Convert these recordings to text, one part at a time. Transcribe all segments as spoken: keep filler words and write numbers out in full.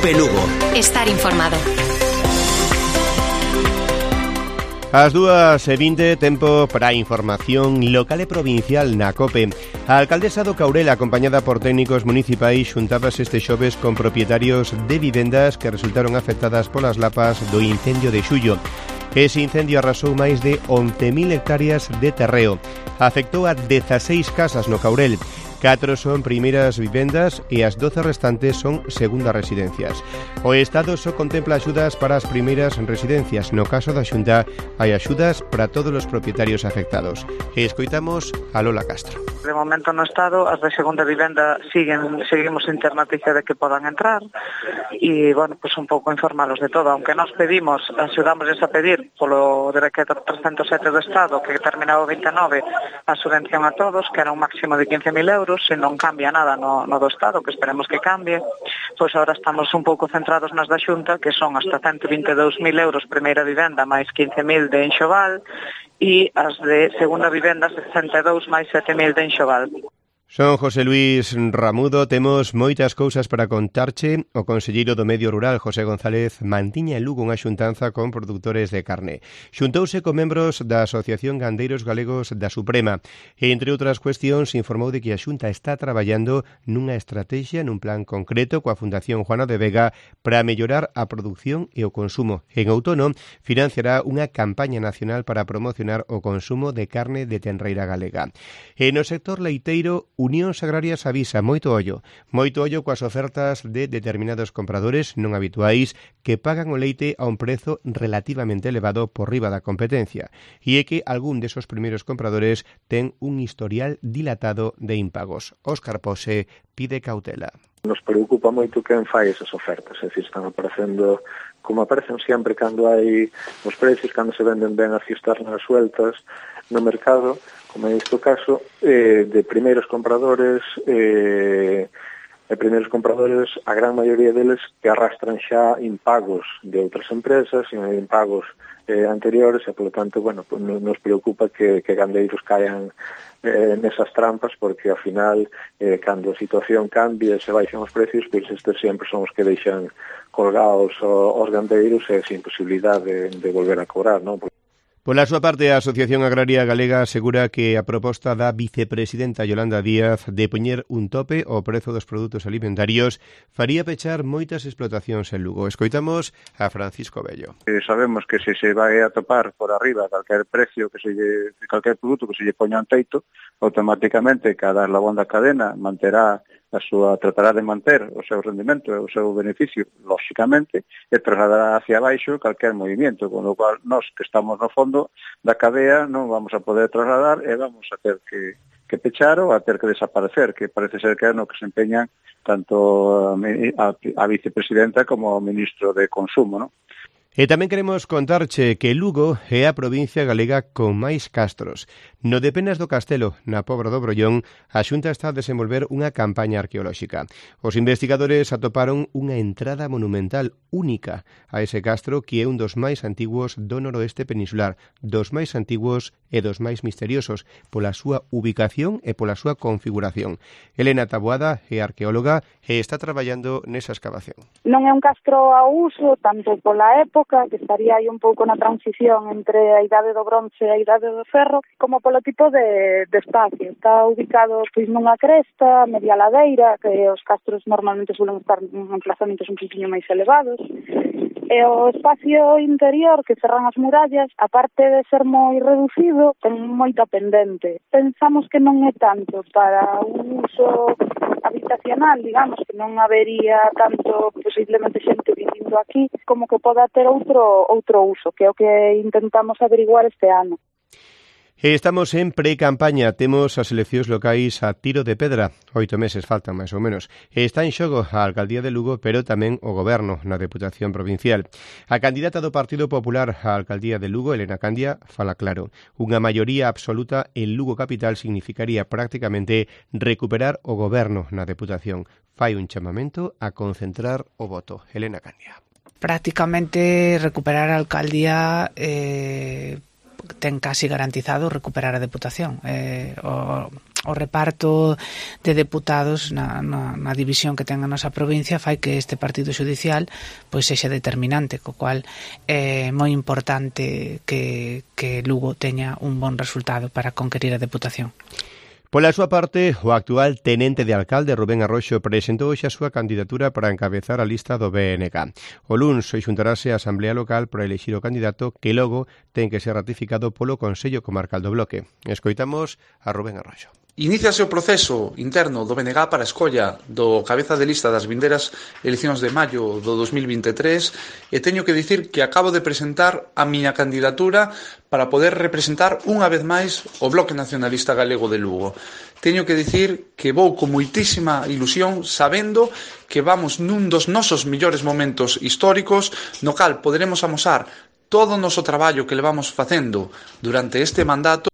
Cope Lugo. Estar informado. As dúas e vinte, tempo para a información local e provincial na COPE. A alcaldesa do Caurel, acompañada por técnicos municipais, xuntábase este xoves con propietarios de vivendas que resultaron afectadas polas lapas do incendio de xullo. Ese incendio arrasou máis de once mil hectáreas de terreo. Afectou a dezaseis casas no Caurel. Catro son primeiras vivendas e as doce restantes son segundas residencias. O Estado só contempla axudas para as primeiras residencias. No caso da Xunta, hai axudas para todos os propietarios afectados. E escoitamos a Lola Castro. De momento no Estado, as de segunda vivenda siguen, seguimos sin ter noticia de que podan entrar e, bueno, pues un pouco informarlos de todo. Aunque nos pedimos, axudámosles a pedir polo decreto trescentos sete do Estado que terminaba o vinte e nove a subvención a todos, que era un máximo de quince mil euros, se non cambia nada no, no do Estado, que esperemos que cambie, pois agora estamos un pouco centrados nas da Xunta, que son hasta ciento vinte e dous mil euros primeira vivenda máis quince mil de enxoval e as de segunda vivenda sesenta e dous máis sete mil de enxoval. Son José Luis Ramudo, temos moitas cousas para contarche. O conselleiro do Medio Rural, José González, mantiña en Lugo unha xuntanza con produtores de carne. Xuntouse con membros da Asociación Gandeiros Galegos da Suprema e, entre outras cuestións, informou de que a Xunta está traballando nunha estrategia, nun plan concreto coa Fundación Juana de Vega para mellorar a produción e o consumo. En outono, financiará unha campaña nacional para promocionar o consumo de carne de tenreira galega. E no sector leiteiro, Unións Agrarias avisa moito ollo, moito ollo coas ofertas de determinados compradores non habituais que pagan o leite a un prezo relativamente elevado por riba da competencia, e é que algún desos primeiros compradores ten un historial dilatado de impagos. Óscar Pose pide cautela. Nos preocupa moito quen fai esas ofertas, é dicir, están aparecendo como aparecen sempre cando hai os precios, cando se venden ben as cisternas sueltas no mercado, como en este caso, eh, de primeiros compradores, eh, de primeiros compradores, a gran maioría deles que arrastran xa impagos de outras empresas, impagos eh, anteriores, e, polo tanto, bueno, pues, nos preocupa que, que gandeiros caian eh, nesas trampas, porque, ao final, eh, cando a situación cambia e se baixan os precios, pois estes sempre son os que deixan colgados os gandeiros e sin posibilidade de, de volver a cobrar, non? Pola súa parte, a Asociación Agraria Galega asegura que a proposta da vicepresidenta Yolanda Díaz de poñer un tope ao prezo dos produtos alimentarios faría pechar moitas explotacións en Lugo. Escoitamos a Francisco Bello. Eh, sabemos que se se vai a topar por arriba calquer precio, que se lle, calquer produto que se lle poña un teito, automáticamente cada eslabón da cadena manterá a súa, tratará de manter o seu rendimento e o seu beneficio, lóxicamente, e trasladará hacia baixo calquer movimiento, con o cual nós que estamos no fondo da cadea non vamos a poder trasladar e vamos a ter que, que pechar ou a ter que desaparecer, que parece ser que é no que se empeñan tanto a, a, a vicepresidenta como o ministro de Consumo, non? E tamén queremos contarche que Lugo é a provincia galega con máis castros. No de Penas do Castelo, na Pobra do Brollón, a Xunta está a desenvolver unha campaña arqueolóxica. Os investigadores atoparon unha entrada monumental única a ese castro que é un dos máis antiguos do noroeste peninsular, dos máis antiguos e dos máis misteriosos pola súa ubicación e pola súa configuración. Elena Taboada é arqueóloga e está traballando nesa excavación. Non é un castro a uso, tanto pola época, que estaría aí un pouco na transición entre a idade do bronce e a idade do ferro, como polo tipo de, de espacio. Está ubicado pois nunha cresta, media ladeira, que os castros normalmente suelen estar en emplazamentos un poquinho máis elevados. E o espacio interior que cerran as murallas, aparte de ser moi reducido, ten moita pendente. Pensamos que non é tanto para un uso habitacional, digamos, que non habería tanto posiblemente xente vivindo aquí, como que poda ter outro outro uso, que é o que intentamos averiguar este ano. Estamos en pre-campaña, temos as eleccións locais a tiro de pedra, oito meses faltan máis ou menos. Está en xogo a Alcaldía de Lugo, pero tamén o Goberno na Deputación Provincial. A candidata do Partido Popular á Alcaldía de Lugo, Elena Candia, fala claro. Unha maioría absoluta en Lugo Capital significaría prácticamente recuperar o Goberno na Deputación. Fai un chamamento a concentrar o voto. Elena Candia. Prácticamente recuperar a Alcaldía... Eh... ten casi garantizado recuperar a Deputación. Eh, o, o reparto de deputados na, na, na división que ten a nosa provincia fai que este partido xudicial pois sexa determinante, co cual é moi importante que, que Lugo teña un bon resultado para conquerir a Deputación. Pola súa parte, o actual tenente de alcalde Rubén Arroxo presentou hoxe a súa candidatura para encabezar a lista do B N K. O luns xuntarase a Asamblea Local para elixir o candidato que logo ten que ser ratificado polo Consello Comarcal do Bloque. Escoitamos a Rubén Arroxo. Iníciase o proceso interno do B N G para a escolla do cabeza de lista das vindeiras eleccións de maio do dos mil vinte e tres e teño que dicir que acabo de presentar a miña candidatura para poder representar unha vez máis o Bloque Nacionalista Galego de Lugo. Teño que dicir que vou con moitísima ilusión sabendo que vamos nun dos nosos mellores momentos históricos no cal poderemos amosar todo o noso traballo que levamos facendo durante este mandato.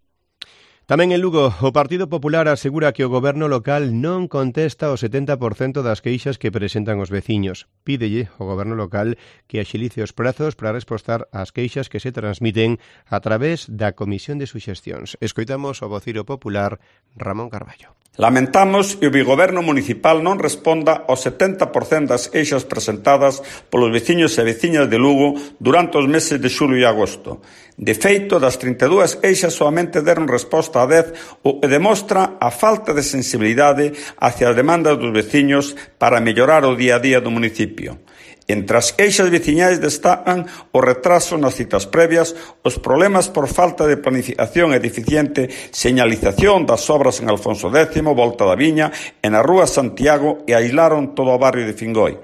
Tamén en Lugo, o Partido Popular asegura que o goberno local non contesta o setenta por cento das queixas que presentan os veciños. Pídelle ao goberno local que axilice os prazos para respostar ás queixas que se transmiten a través da Comisión de Suxestións. Escoitamos o vociro popular Ramón Carballo. Lamentamos que o bigoberno municipal non responda ao setenta por cento das queixas presentadas polos veciños e veciñas de Lugo durante os meses de xullo e agosto. De feito, das trinta e dúas queixas solamente deron resposta a dez, o que demostra a falta de sensibilidade hacia as demandas dos veciños para mellorar o día a día do municipio. Entre as queixas veciñais destacan o retraso nas citas previas, os problemas por falta de planificación e deficiente señalización das obras en Alfonso décimo, Volta da Viña e na Rúa Santiago e aislaron todo o barrio de Fingoi.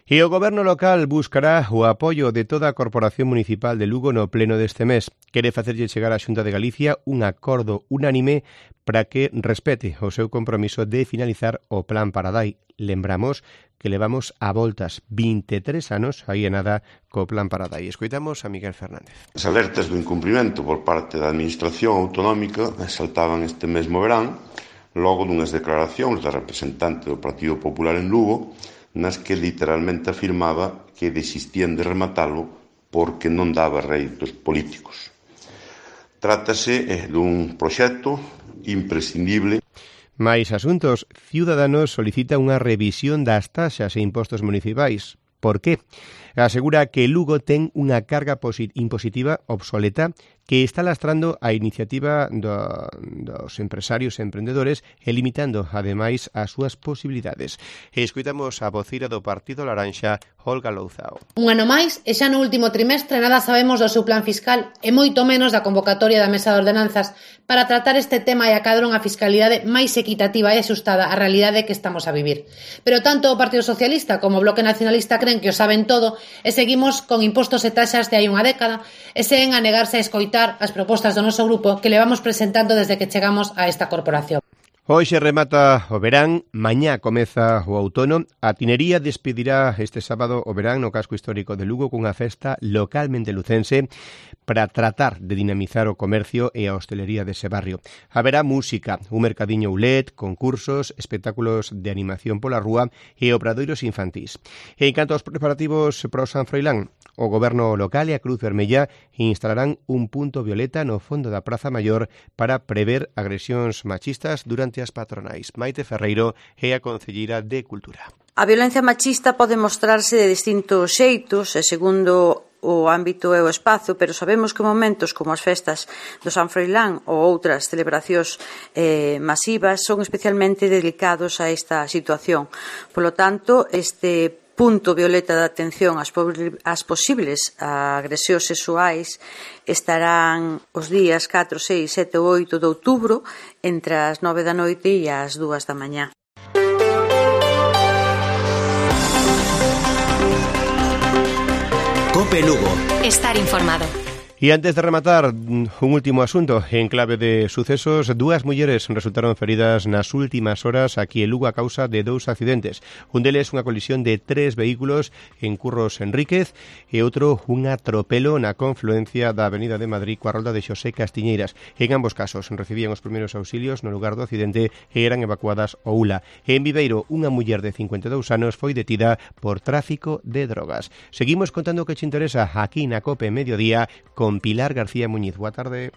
E o goberno local buscará o apoio de toda a Corporación Municipal de Lugo no pleno deste mes. Quere facerlle chegar á Xunta de Galicia un acordo unánime para que respete o seu compromiso de finalizar o Plan Paradai. Lembramos que levamos a voltas vinte e tres anos aí e nada co Plan Paradai. Escoitamos a Miguel Fernández. As alertas do incumprimento por parte da Administración Autonómica saltaban este mesmo verán, logo dunhas declaracións da representante do Partido Popular en Lugo, nas que literalmente afirmaba que desistían de rematalo porque non daba réditos políticos. Trátase eh, dun proxecto imprescindible. Mais asuntos, Ciudadanos solicita unha revisión das taxas e impostos municipais. Por qué? Asegura que Lugo ten unha carga impositiva obsoleta que está lastrando a iniciativa do, dos empresarios e emprendedores e limitando, ademais, as súas posibilidades. E escoitamos a vocira do Partido Laranxa, Olga Louzao. Un ano máis, e xa no último trimestre nada sabemos do seu plan fiscal e moito menos da convocatoria da Mesa de Ordenanzas para tratar este tema e acadar unha fiscalidade máis equitativa e axustada á realidade que estamos a vivir. Pero tanto o Partido Socialista como o Bloque Nacionalista creen que o saben todo e seguimos con impostos e taxas de hai unha década e seguen a negarse a escoitar as propostas do noso grupo que levamos presentando desde que chegamos a esta corporación. Hoxe remata o verán, mañá comeza o outono. A Tinería despedirá este sábado o verán no casco histórico de Lugo cunha festa localmente lucense para tratar de dinamizar o comercio e a hostelería dese barrio. Haberá música, un mercadiño oulet, concursos, espectáculos de animación pola rúa e obradoiros infantís. E en canto aos preparativos para o San Froilán, o goberno local e a Cruz Vermella instalarán un punto violeta no fondo da Praza Maior para prever agresións machistas durante as patronais. Maite Ferreiro é a concelleira de Cultura. A violencia machista pode mostrarse de distintos xeitos e segundo o ámbito e o espazo, pero sabemos que momentos como as festas do San Froilán ou outras celebracións eh, masivas son especialmente delicados a esta situación. Polo tanto, este punto violeta de atención ás, ás posibles agresións sexuais estarán os días catro, seis, sete ou oito de outubro entre as nove da noite e as dúas da mañá. Cope Lugo. Estar informado. E antes de rematar, un último asunto. En clave de sucesos, dúas mulleres resultaron feridas nas últimas horas aquí en Lugo a causa de dous accidentes. Un deles unha colisión de tres vehículos en Curros Enríquez e outro un atropelo na confluencia da Avenida de Madrid coa rolda de Xosé Castiñeiras. En ambos casos recibían os primeiros auxilios no lugar do accidente e eran evacuadas ao U L A. En Viveiro, unha muller de cincuenta e dous anos foi detida por tráfico de drogas. Seguimos contando o que te interesa aquí na Cope Mediodía con con Pilar García Muñiz. Boa tarde.